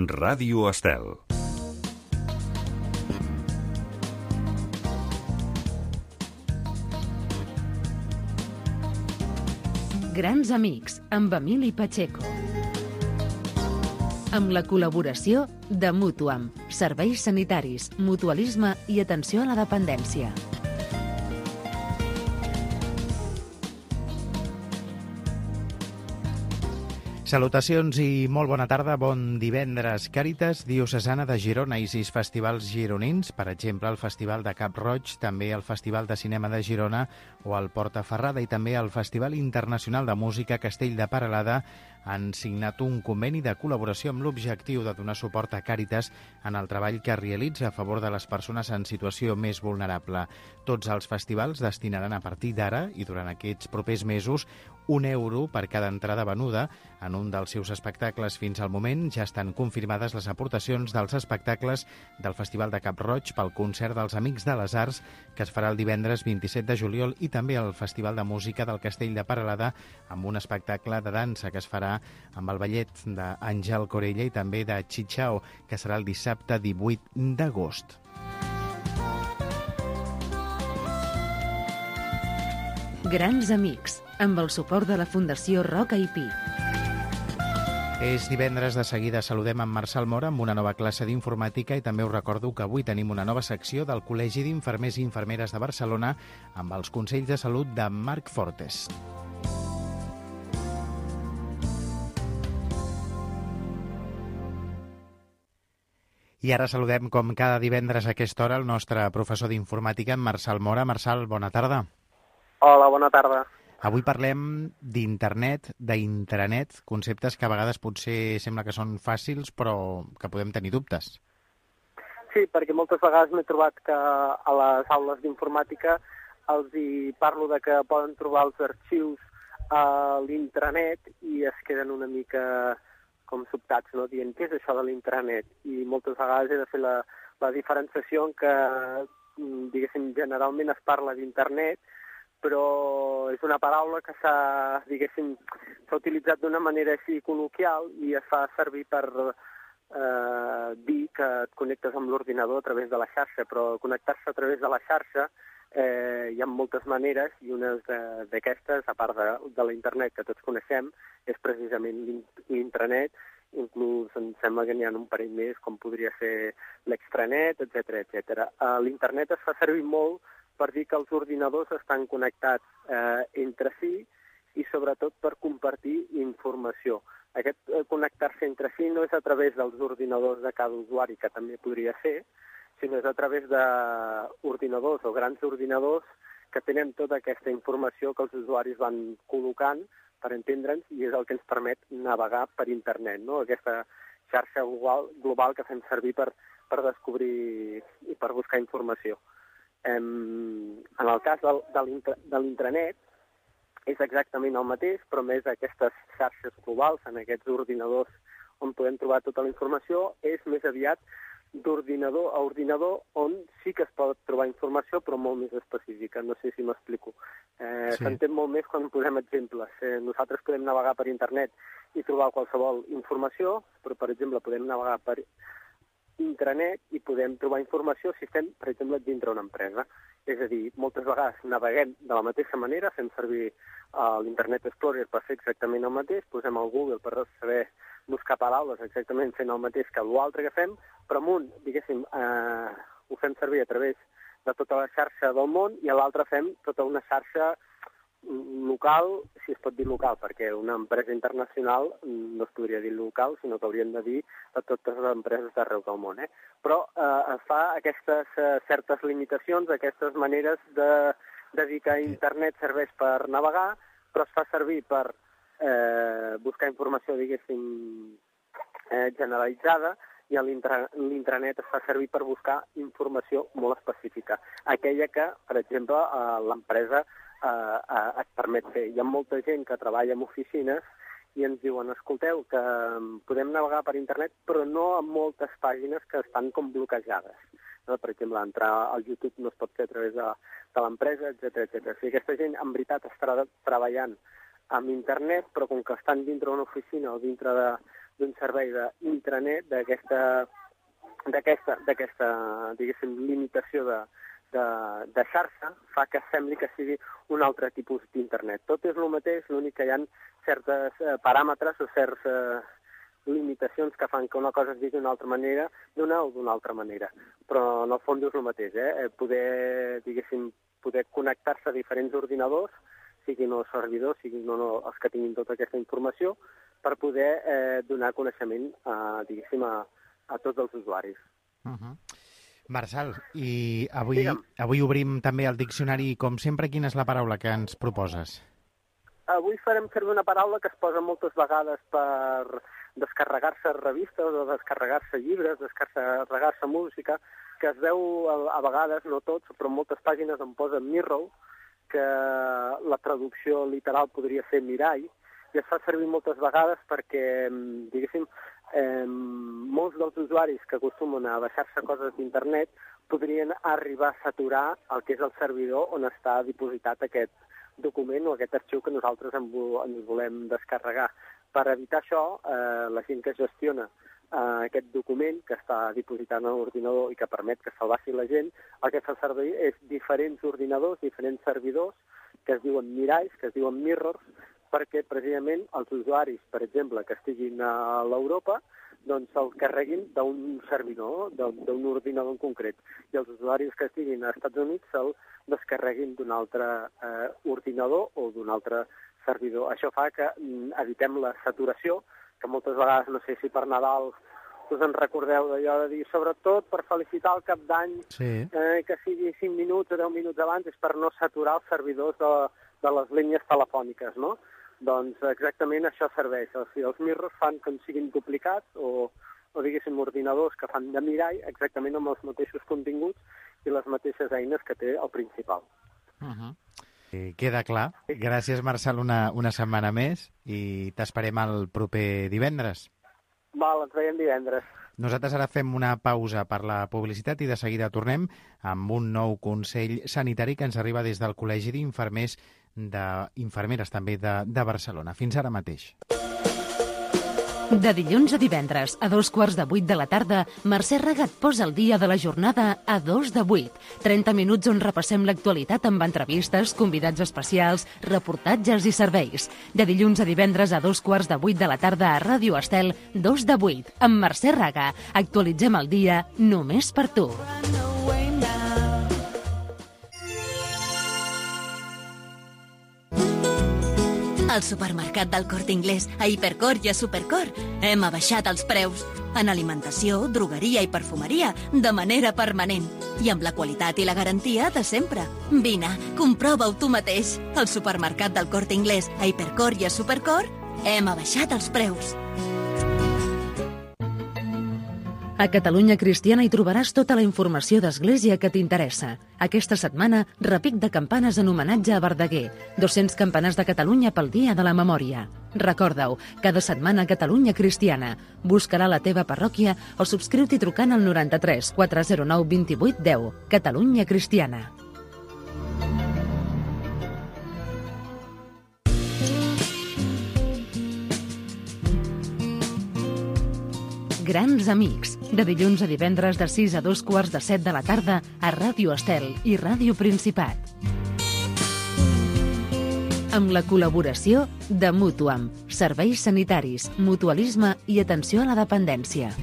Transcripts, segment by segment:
Ràdio Estel. Grans amics, amb Emili Pacheco. Amb la col·laboració de Mutuam, serveis sanitaris, mutualisme i atenció a la dependència. Salutacions i molt bona tarda, bon divendres. Càritas Diocesana de Girona i 6 festivals gironins, per exemple el Festival de Cap Roig, també el Festival de Cinema de Girona o el Portaferrada i també el Festival Internacional de Música Castell de Peralada han signat un conveni de col·laboració amb l'objectiu de donar suport a Càritas en el treball que realitza a favor de les persones en situació més vulnerable. Tots els festivals destinaran a partir d'ara i durant aquests propers mesos €1 per cada entrada venuda en un dels seus espectacles. Fins al moment ja estan confirmades les aportacions dels espectacles del Festival de Cap Roig pel concert dels Amics de les Arts, que es farà el divendres 27 de juliol, i també el Festival de Música del Castell de Peralada, amb un espectacle de dansa que es farà amb el ballet d'Àngel Corella i també de Chichao, que serà el dissabte 18 d'agost. Grans amics, amb el suport de la Fundació Roca i Pi. És divendres, de seguida saludem en Marçal Mora amb una nova classe d'informàtica i també us recordo que avui tenim una nova secció del Col·legi d'Infermers i Infermeres de Barcelona amb els consells de salut de Marc Fortes. I ara saludem, com cada divendres a aquesta hora, el nostre professor d'informàtica, en Marçal Mora. Marçal, bona tarda. Hola, bona tarda. Avui parlem d'internet, d'intranet, conceptes que a vegades potser sembla que són fàcils, però que podem tenir dubtes. Sí, perquè moltes vegades m'he trobat que a les aules d'informàtica els hi parlo de que poden trobar els arxius a l'intranet i es queden una mica com sobtats, no? Dient, què és això de l'intranet? I moltes vegades he de fer la diferenciació en què, diguéssim, generalment es parla d'internet, però és una paraula que s'ha utilitzat d'una manera així col·loquial i es fa servir per dir que et connectes amb l'ordinador a través de la xarxa, però connectar-se a través de la xarxa hi ha moltes maneres i una d'aquestes, a part de l'internet que tots coneixem, és precisament l'intranet. Inclús em sembla que n'hi ha un parell més, com podria ser l'extranet, etc. L'internet es fa servir molt per dir que els ordinadors estan connectats entre si i sobretot per compartir informació. Aquest connectar-se entre si no és a través dels ordinadors de cada usuari, que també podria ser, sinó és a través d'ordinadors o grans ordinadors que tenen tota aquesta informació que els usuaris van col·locant per entendre'ns i és el que ens permet navegar per internet, no? Aquesta xarxa global que fem servir per descobrir i per buscar informació. En el cas de l'intranet és exactament el mateix, però més aquestes xarxes globals, en aquests ordinadors on podem trobar tota la informació, és més aviat d'ordinador a ordinador on sí que es pot trobar informació, però molt més específica. No sé si m'explico. S'entén molt més quan posem exemples. Nosaltres podem navegar per internet i trobar qualsevol informació, però, per exemple, podem navegar per intranet i podem trobar informació si estem, per exemple, dintre una empresa. És a dir, moltes vegades naveguem de la mateixa manera, fem servir l'Internet Explorer per fer exactament el mateix, posem al Google per saber buscar paraules exactament fent el mateix que l'altre que fem, però amb un, diguéssim, ho fem servir a través de tota la xarxa del món i a l'altre fem tota una xarxa local, si es pot dir local, perquè una empresa internacional no es podria dir local, sinó que hauríem de dir a totes les empreses d'arreu del món. Però es fa aquestes certes limitacions, aquestes maneres de dir que internet serveix per navegar, però es fa servir per buscar informació, diguéssim, generalitzada, i l'intranet es fa servir per buscar informació molt específica. Aquella que, per exemple, l'empresa et permet fer. Hi ha molta gent que treballa en oficines i ens diuen, escolteu, que podem navegar per internet, però no en moltes pàgines que estan com bloquejades. No? Per exemple, entrar al YouTube no es pot fer a través de l'empresa, etc. O sigui, aquesta gent, en veritat, està treballant amb internet, però com que estan dintre d'una oficina o dintre d'un servei d'intranet, d'aquesta diguéssim, limitació de xarxa, fa que sembli que sigui un altre tipus d'internet. Tot és el mateix, l'únic que hi ha certes paràmetres o certes limitacions que fan que una cosa es digui d'una altra manera, d'una o d'una altra manera. Però en el fons és el mateix, poder connectar-se a diferents ordinadors, siguin els servidors, siguin els que tinguin tota aquesta informació, per poder donar coneixement, diguéssim, a tots els usuaris. Marçal, i avui obrim també el diccionari, com sempre, quina és la paraula que ens proposes? Avui farem servir una paraula que es posa moltes vegades per descarregar-se revistes o descarregar-se llibres, descarregar-se música, que es veu a vegades, no tots, però en moltes pàgines em posa mirror, que la traducció literal podria ser mirall, i es fa servir moltes vegades perquè, diguéssim, molts dels usuaris que acostumen a baixar-se coses d'internet podrien arribar a saturar el que és el servidor on està dipositat aquest document o aquest arxiu que nosaltres ens volem descarregar. Per evitar això, la gent que gestiona aquest document que està dipositat en l'ordinador i que permet que se'l baixi la gent, el que fa servir és diferents ordinadors, diferents servidors, que es diuen miralls, que es diuen mirrors, perquè precisament els usuaris, per exemple, que estiguin a l'Europa, doncs se'l carreguin d'un servidor, d'un ordinador en concret. I els usuaris que estiguin als Estats Units se'l descarreguin d'un altre ordinador o d'un altre servidor. Això fa que evitem la saturació, que moltes vegades, no sé si per Nadal us en recordeu d'allò de dir, sobretot per felicitar el cap d'any, que sigui 5 minuts o 10 minuts abans, és per no saturar els servidors de les línies telefòniques, no? Doncs exactament això serveix. Els mirrors fan que siguin duplicats o diguéssim, ordinadors que fan de mirall exactament amb els mateixos continguts i les mateixes eines que té el principal. Queda clar. Gràcies, Marçal, una setmana més i t'esperem el proper divendres. Val, ens veiem divendres. Nosaltres ara fem una pausa per la publicitat i de seguida tornem amb un nou consell sanitari que ens arriba des del Col·legi d'Infermeres també de Barcelona. Fins ara mateix. De dilluns a divendres, a 7:15 de la tarda, Mercè Regat posa el dia de la jornada a 7:02. 30 minuts on repassem l'actualitat amb entrevistes, convidats especials, reportatges i serveis. De dilluns a divendres a 7:15 de la tarda a Ràdio Estel, 7:02. Amb Mercè Regat actualitzem el dia només per tu. Al supermercat del Corte Inglés, a Hipercor i a Supercor, hem abaixat els preus. En alimentació, drogueria i perfumeria, de manera permanent. I amb la qualitat i la garantia de sempre. Vine, comprova-ho tu mateix. Al supermercat del Corte Inglés, a Hipercor i a Supercor, hem abaixat els preus. A Catalunya Cristiana hi trobaràs tota la informació d'Església que t'interessa. Aquesta setmana, repic de campanes en homenatge a Verdaguer. 200 campanars de Catalunya pel Dia de la Memòria. Recorda-ho, cada setmana Catalunya Cristiana. Buscarà la teva parròquia o subscriu-t'hi trucant al 93 409 28 10. Catalunya Cristiana. Grans amics, de dilluns a divendres de 6 a 7:15 de la tarda a Ràdio Estel i Ràdio Principat. Amb la col·laboració de Mútuam, serveis sanitaris, mutualisme i atenció a la dependència.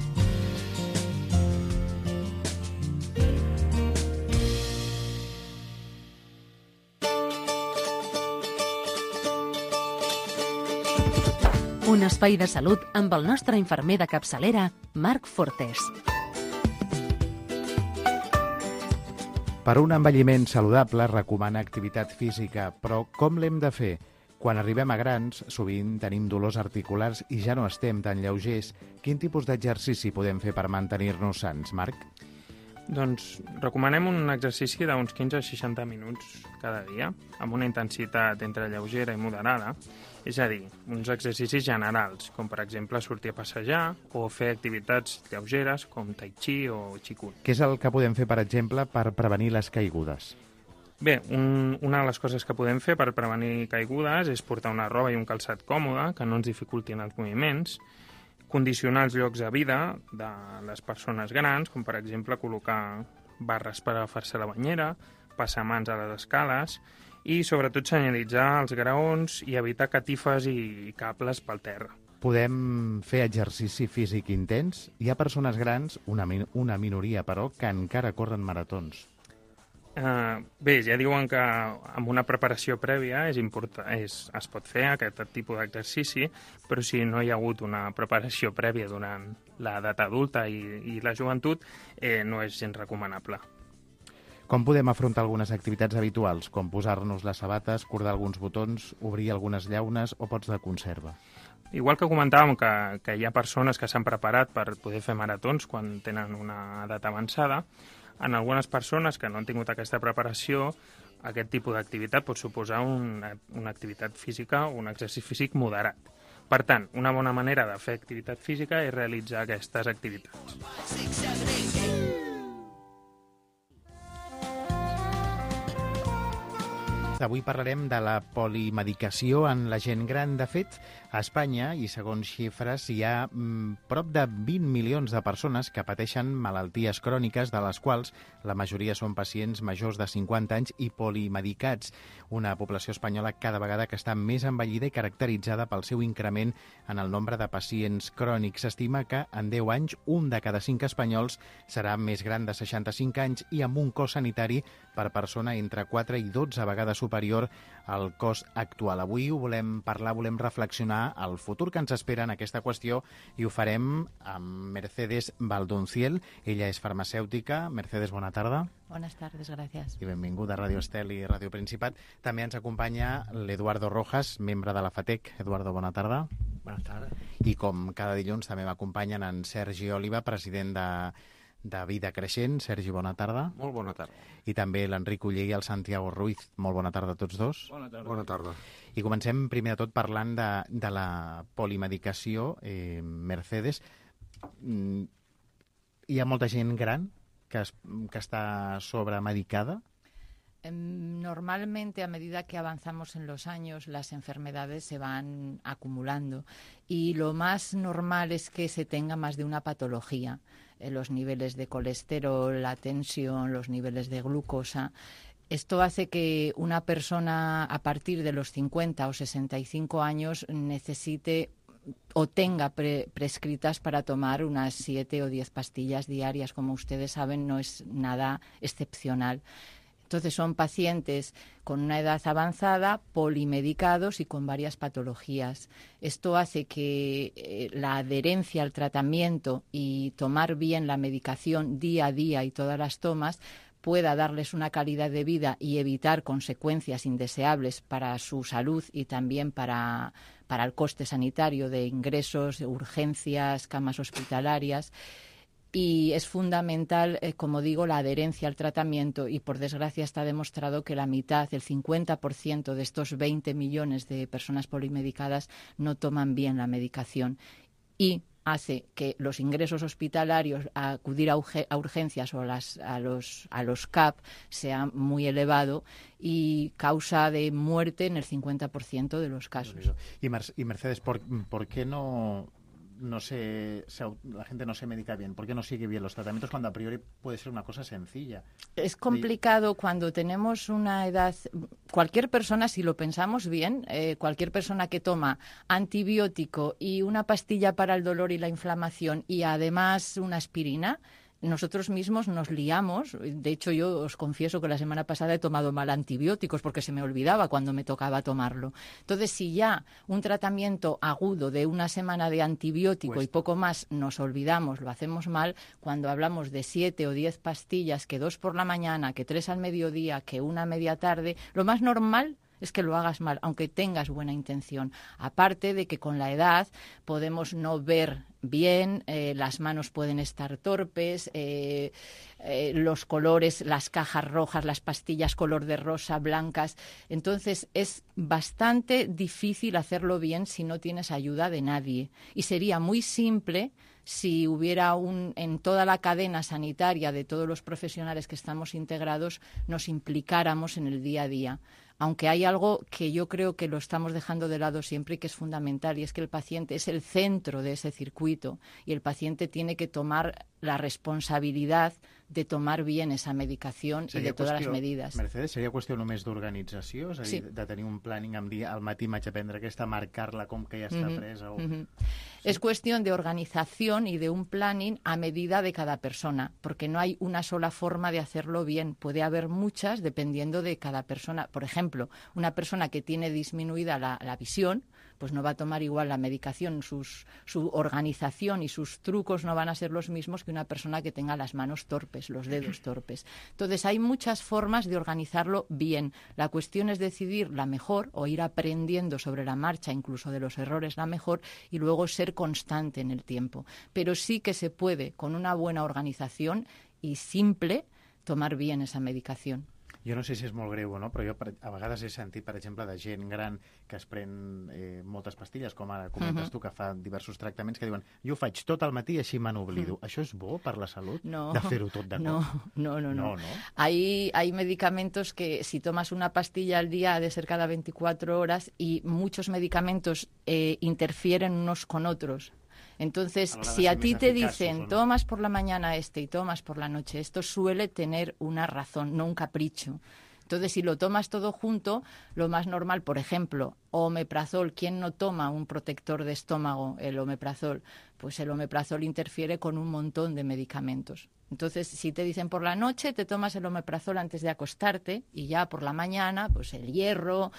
Un espai de salut amb el nostre infermer de capçalera, Marc Fortés. Per un envelliment saludable recomana activitat física, però com l'hem de fer? Quan arribem a grans, sovint tenim dolors articulars i ja no estem tan lleugers. Quin tipus d'exercici podem fer per mantenir-nos sants, Marc? Doncs recomanem un exercici d'uns 15 a 60 minuts cada dia, amb una intensitat entre lleugera i moderada, és a dir, uns exercicis generals, com per exemple sortir a passejar o fer activitats lleugeres com tai chi o qigong. Què és el que podem fer, per exemple, per prevenir les caigudes? Bé, una de les coses que podem fer per prevenir caigudes és portar una roba i un calçat còmode, que no ens dificultin els moviments, condicionar els llocs de vida de les persones grans, com per exemple col·locar barres per agafar-se la banyera, passar mans a les escales i sobretot senyalitzar els graons i evitar catifes i cables pel terra. Podem fer exercici físic intens? Hi ha persones grans, una minoria però, que encara corren maratons. Bé, ja diuen que amb una preparació prèvia es pot fer aquest tipus d'exercici, però si no hi ha hagut una preparació prèvia durant l'edat adulta i la joventut, no és gens recomanable. Com podem afrontar algunes activitats habituals, com posar-nos les sabates, cordar alguns botons, obrir algunes llaunes o pots de conserva? Igual que comentàvem que hi ha persones que s'han preparat per poder fer maratons quan tenen una edat avançada, en algunes persones que no han tingut aquesta preparació, aquest tipus d'activitat pot suposar una activitat física o un exercici físic moderat. Per tant, una bona manera de fer activitat física és realitzar aquestes activitats. Avui parlarem de la polimedicació en la gent gran. De fet, a Espanya, i segons xifres, hi ha prop de 20 milions de persones que pateixen malalties cròniques, de les quals la majoria són pacients majors de 50 anys i polimedicats. Una població espanyola cada vegada que està més envellida i caracteritzada pel seu increment en el nombre de pacients crònics. S'estima que en 10 anys un de cada 5 espanyols serà més gran de 65 anys i amb un cost sanitari per persona entre 4 i 12 vegades superior al cost actual. Avui ho volem parlar, volem reflexionar al futur que ens espera en aquesta qüestió i ho farem amb Mercedes Valdonciel. Ella és farmacèutica. Mercedes, bona tarda. Buenas tardes, gracias. I benvinguda a Radio Estel i Radio Principat. També ens acompanya l'Eduardo Rojas, membre de la FATEC. Eduardo, bona tarda. Bona tarda. I com cada dilluns també m'acompanyen en Sergi Oliva, president de Vida Creixent. Sergi, bona tarda. Molt bona tarda. I també l'Enric Uller i el Santiago Ruiz. Molt bona tarda a tots dos. Bona tarda. Bona tarda. I comencem primer de tot parlant de la polimedicació. Mercedes, hi ha molta gent gran que está sobremedicada? Normalmente, a medida que avanzamos en los años, las enfermedades se van acumulando y lo más normal es que se tenga más de una patología. Los niveles de colesterol, la tensión, los niveles de glucosa. Esto hace que una persona a partir de los 50 o 65 años necesite o tenga prescritas para tomar unas 7 o 10 pastillas diarias. Como ustedes saben, no es nada excepcional. Entonces son pacientes con una edad avanzada, polimedicados y con varias patologías. Esto hace que la adherencia al tratamiento y tomar bien la medicación día a día y todas las tomas pueda darles una calidad de vida y evitar consecuencias indeseables para su salud y también para el coste sanitario de ingresos, urgencias, camas hospitalarias. Y es fundamental, como digo, la adherencia al tratamiento y, por desgracia, está demostrado que la mitad, el 50% de estos 20 millones de personas polimedicadas no toman bien la medicación y hace que los ingresos hospitalarios a acudir a urgencias o a los CAP sea muy elevado y causa de muerte en el 50% de los casos. Y Mercedes, ¿por qué la gente no se medica bien? ¿Por qué no sigue bien los tratamientos cuando a priori puede ser una cosa sencilla? Es complicado cuando tenemos una edad. Cualquier persona, si lo pensamos bien, cualquier persona que toma antibiótico y una pastilla para el dolor y la inflamación y además una aspirina, nosotros mismos nos liamos. De hecho, yo os confieso que la semana pasada he tomado mal antibióticos porque se me olvidaba cuando me tocaba tomarlo. Entonces, si ya un tratamiento agudo de una semana de antibiótico y poco más nos olvidamos, lo hacemos mal, cuando hablamos de 7 o 10 pastillas, que 2 por la mañana, que 3 al mediodía, que 1 a media tarde, lo más normal es que lo hagas mal, aunque tengas buena intención. Aparte de que con la edad podemos no ver bien, las manos pueden estar torpes, los colores, las cajas rojas, las pastillas color de rosa, blancas. Entonces es bastante difícil hacerlo bien si no tienes ayuda de nadie. Y sería muy simple si hubiera en toda la cadena sanitaria de todos los profesionales que estamos integrados, nos implicáramos en el día a día. aunque hay algo que yo creo que lo estamos dejando de lado siempre y que es fundamental, y es que el paciente es el centro de ese circuito y el paciente tiene que tomar la responsabilidad de tomar bien esa medicación i de totes les medides. Mercedes, seria qüestió només d'organització? És a dir, sí. de tenir un planning amb dir al matí m'haig de prendre aquesta, marcar-la com que ja està presa? O... Sí. Es cuestión de organización y de un planning a medida de cada persona, porque no hay una sola forma de hacerlo bien. Puede haber muchas dependiendo de cada persona. Por ejemplo, una persona que tiene disminuida la visión, pues no va a tomar igual la medicación, su organización y sus trucos no van a ser los mismos que una persona que tenga las manos torpes, los dedos torpes. Entonces, hay muchas formas de organizarlo bien. La cuestión es decidir la mejor o ir aprendiendo sobre la marcha, incluso de los errores, la mejor, y luego ser constante en el tiempo. Pero sí que se puede, con una buena organización y simple, tomar bien esa medicación. Jo no sé si és molt greu o no, però jo a vegades he sentit, per exemple, de gent gran que es pren moltes pastilles, com ara comentes tu, que fa diversos tractaments, que diuen jo ho faig tot al matí i així me n'oblido. Això és bo per la salut? No, de fer-ho tot de cop? No. Hay medicamentos que si tomas una pastilla al día ha de ser cada 24 horas y muchos medicamentos interfieren unos con otros. Entonces, si a ti te dicen, tomas por la mañana este y tomas por la noche, esto suele tener una razón, no un capricho. Entonces, si lo tomas todo junto, lo más normal, por ejemplo, omeprazol, ¿quién no toma un protector de estómago, el omeprazol? Pues el omeprazol interfiere con un montón de medicamentos. Entonces, si te dicen por la noche, te tomas el omeprazol antes de acostarte y ya por la mañana, pues el hierro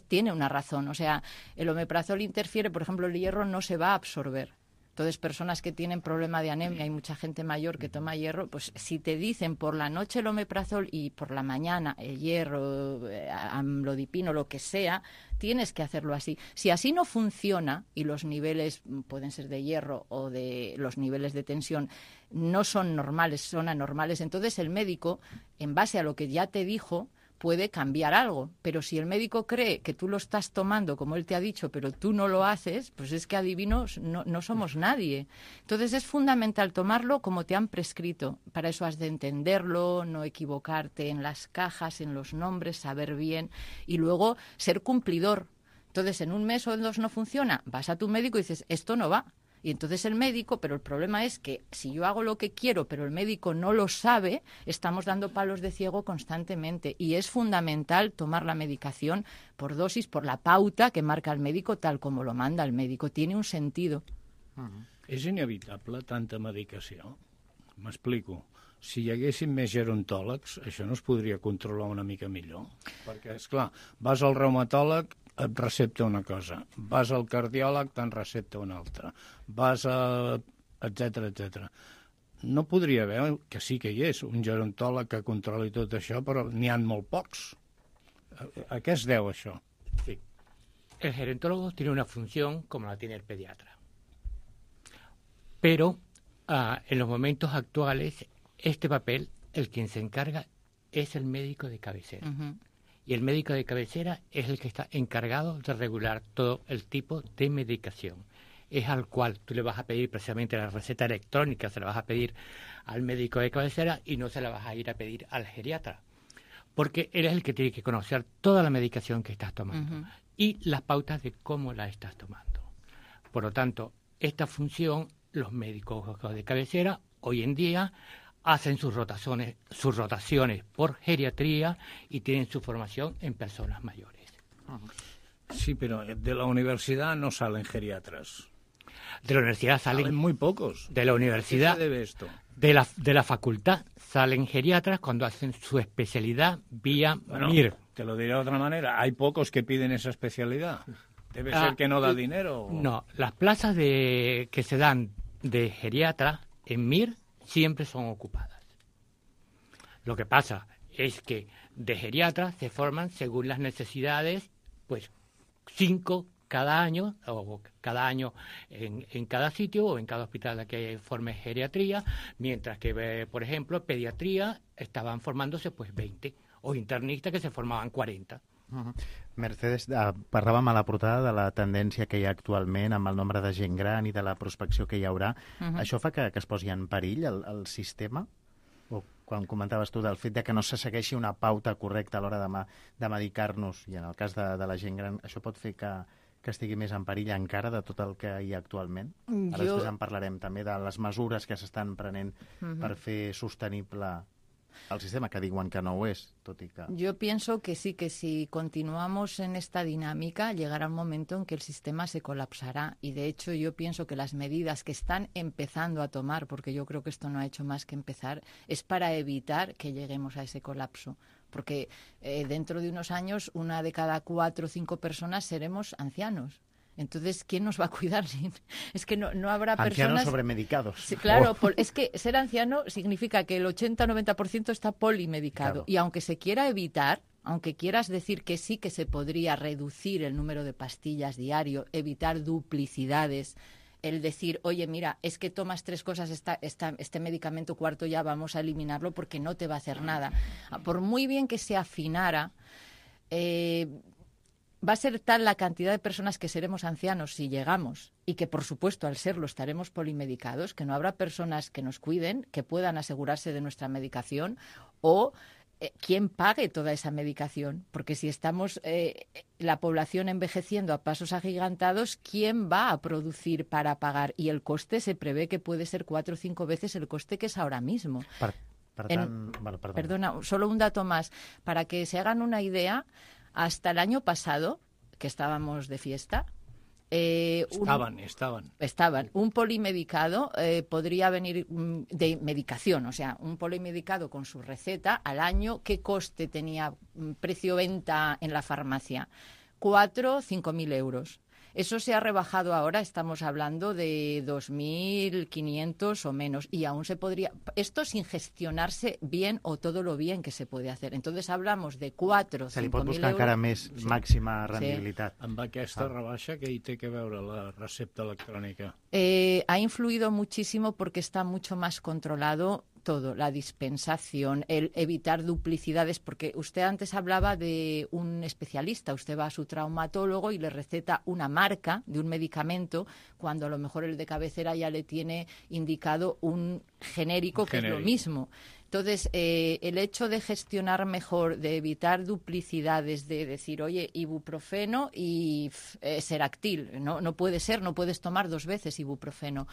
tiene una razón. O sea, el omeprazol interfiere, por ejemplo, el hierro no se va a absorber. Entonces, personas que tienen problema de anemia, hay mucha gente mayor que toma hierro, pues si te dicen por la noche el omeprazol y por la mañana el hierro, amlodipino, lo que sea, tienes que hacerlo así. Si así no funciona y los niveles pueden ser de hierro o de los niveles de tensión no son normales, son anormales, entonces el médico, en base a lo que ya te dijo, puede cambiar algo, pero si el médico cree que tú lo estás tomando como él te ha dicho, pero tú no lo haces, pues es que adivinos, no somos nadie. Entonces es fundamental tomarlo como te han prescrito. Para eso has de entenderlo, no equivocarte en las cajas, en los nombres, saber bien y luego ser cumplidor. Entonces, en un mes o en dos no funciona, vas a tu médico y dices, esto no va. Y entonces el médico, pero el problema es que si yo hago lo que quiero, pero el médico no lo sabe, estamos dando palos de ciego constantemente. Y es fundamental tomar la medicación por dosis, por la pauta que marca el médico, tal como lo manda el médico. Tiene un sentido. És inevitable tanta medicació? M'explico. Si hi haguessin més gerontòlegs, això no es podria controlar una mica millor. Perquè, esclar, vas al reumatòleg, et recepta una cosa, vas al cardiòleg, te'n recepta una altra, vas a... etc. No podria haver, que sí que hi és, un gerontòleg que controli tot això, però n'hi ha molt pocs. ¿A qué es deu això? Sí. El gerontólogo tiene una función como la tiene el pediatra. Pero en los momentos actuales, este papel, el quien se encarga, es el médico de cabecera. Y el médico de cabecera es el que está encargado de regular todo el tipo de medicación. Es al cual tú le vas a pedir precisamente la receta electrónica, se la vas a pedir al médico de cabecera y no se la vas a ir a pedir al geriatra. Porque él es el que tiene que conocer toda la medicación que estás tomando y las pautas de cómo la estás tomando. Por lo tanto, esta función, los médicos de cabecera, hoy en día, hacen sus rotaciones por geriatría y tienen su formación en personas mayores. Sí, pero de la universidad no salen geriatras. De la universidad salen muy pocos. De la universidad. ¿A qué se debe esto? De la facultad salen geriatras cuando hacen su especialidad vía MIR. Te lo diré de otra manera. Hay pocos que piden esa especialidad. Debe ser que no da dinero. No, las plazas que se dan de geriatra en MIR siempre son ocupadas. Lo que pasa es que de geriatras se forman según las necesidades, pues 5 cada año, o cada año en cada sitio o en cada hospital que forme geriatría, mientras que, por ejemplo, pediatría estaban formándose pues 20, o internistas que se formaven 40. Mercedes, parlàvem a la portada de la tendència que hi ha actualment amb el nombre de gent gran i de la prospecció que hi haurà. Això fa que es posi en perill el sistema? O quan comentaves tu del fet de que no se segueixi una pauta correcta a l'hora de medicar-nos, i en el cas de la gent gran, això pot fer que estigui més en perill encara de tot el que hi ha actualment? Ara després en parlarem també de les mesures que s'estan prenent per fer sostenible el sistema, que diuen que no ho es, tot y que... Yo pienso que sí, que si continuamos en esta dinámica, llegará un momento en que el sistema se colapsará. Y de hecho yo pienso que las medidas que están empezando a tomar, porque yo creo que esto no ha hecho más que empezar, es para evitar que lleguemos a ese colapso. Porque dentro de unos años, 1 de cada 4 o 5 personas seremos ancianos. Entonces, ¿quién nos va a cuidar? Es que no habrá personas... Ancianos sobremedicados. Sí, claro, es que ser anciano significa que el 80-90% está polimedicado. Claro. Y aunque se quiera evitar, aunque quieras decir que sí que se podría reducir el número de pastillas diario, evitar duplicidades, el decir, oye, mira, es que tomas 3 cosas, este medicamento cuarto ya vamos a eliminarlo porque no te va a hacer nada. Por muy bien que se afinara... va a ser tal la cantidad de personas que seremos ancianos si llegamos y que, por supuesto, al serlo estaremos polimedicados, que no habrá personas que nos cuiden, que puedan asegurarse de nuestra medicación o quién pague toda esa medicación. Porque si estamos la población envejeciendo a pasos agigantados, ¿quién va a producir para pagar? Y el coste se prevé que puede ser 4 o 5 veces el coste que es ahora mismo. Perdona, solo un dato más. Para que se hagan una idea... Hasta el año pasado, que estábamos de fiesta... Estaban. Un polimedicado podría venir de medicación, o sea, un polimedicado con su receta al año, ¿qué coste tenía precio-venta en la farmacia? 4 o 5.000 euros. Eso se ha rebajado ahora, estamos hablando de 2.500 o menos, y aún se podría... Esto sin gestionarse bien o todo lo bien que se puede hacer. Entonces hablamos de 4 o 5.000 euros... Se li pot buscar encara més màxima rendibilitat. Amb aquesta rebaixa, què hi té que veure la recepta electrònica? Ha influido muchísimo porque está mucho más controlado todo, la dispensación, el evitar duplicidades, porque usted antes hablaba de un especialista, usted va a su traumatólogo y le receta una marca de un medicamento, cuando a lo mejor el de cabecera ya le tiene indicado un genérico que es lo mismo. Entonces, el hecho de gestionar mejor, de evitar duplicidades, de decir, oye, ibuprofeno y Seractil, no puede ser, no puedes tomar 2 veces ibuprofeno.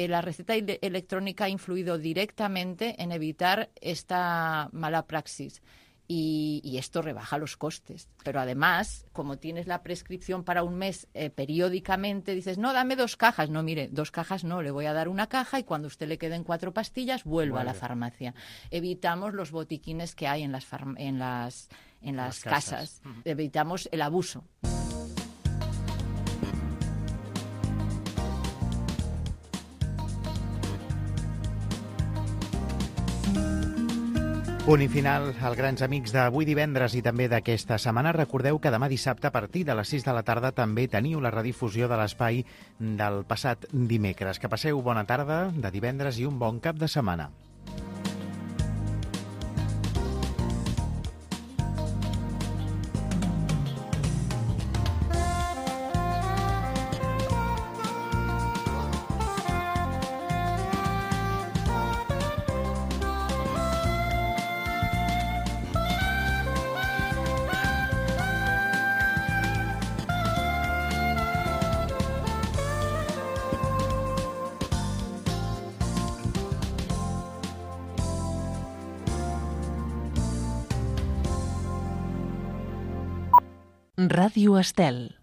La receta electrónica ha influido directamente en evitar esta mala praxis y esto rebaja los costes. Pero además, como tienes la prescripción para un mes periódicamente, dices, no, dame 2 cajas. No, mire, 2 cajas no, le voy a dar 1 caja y cuando a usted le queden 4 pastillas, vuelva a la farmacia. Evitamos los botiquines que hay en las casas. Evitamos el abuso. Punt i final als grans amics d'avui divendres i també d'aquesta setmana. Recordeu que demà dissabte a partir de les 6 de la tarda també teniu la redifusió de l'espai del passat dimecres. Que passeu bona tarda de divendres i un bon cap de setmana. Ràdio Estel.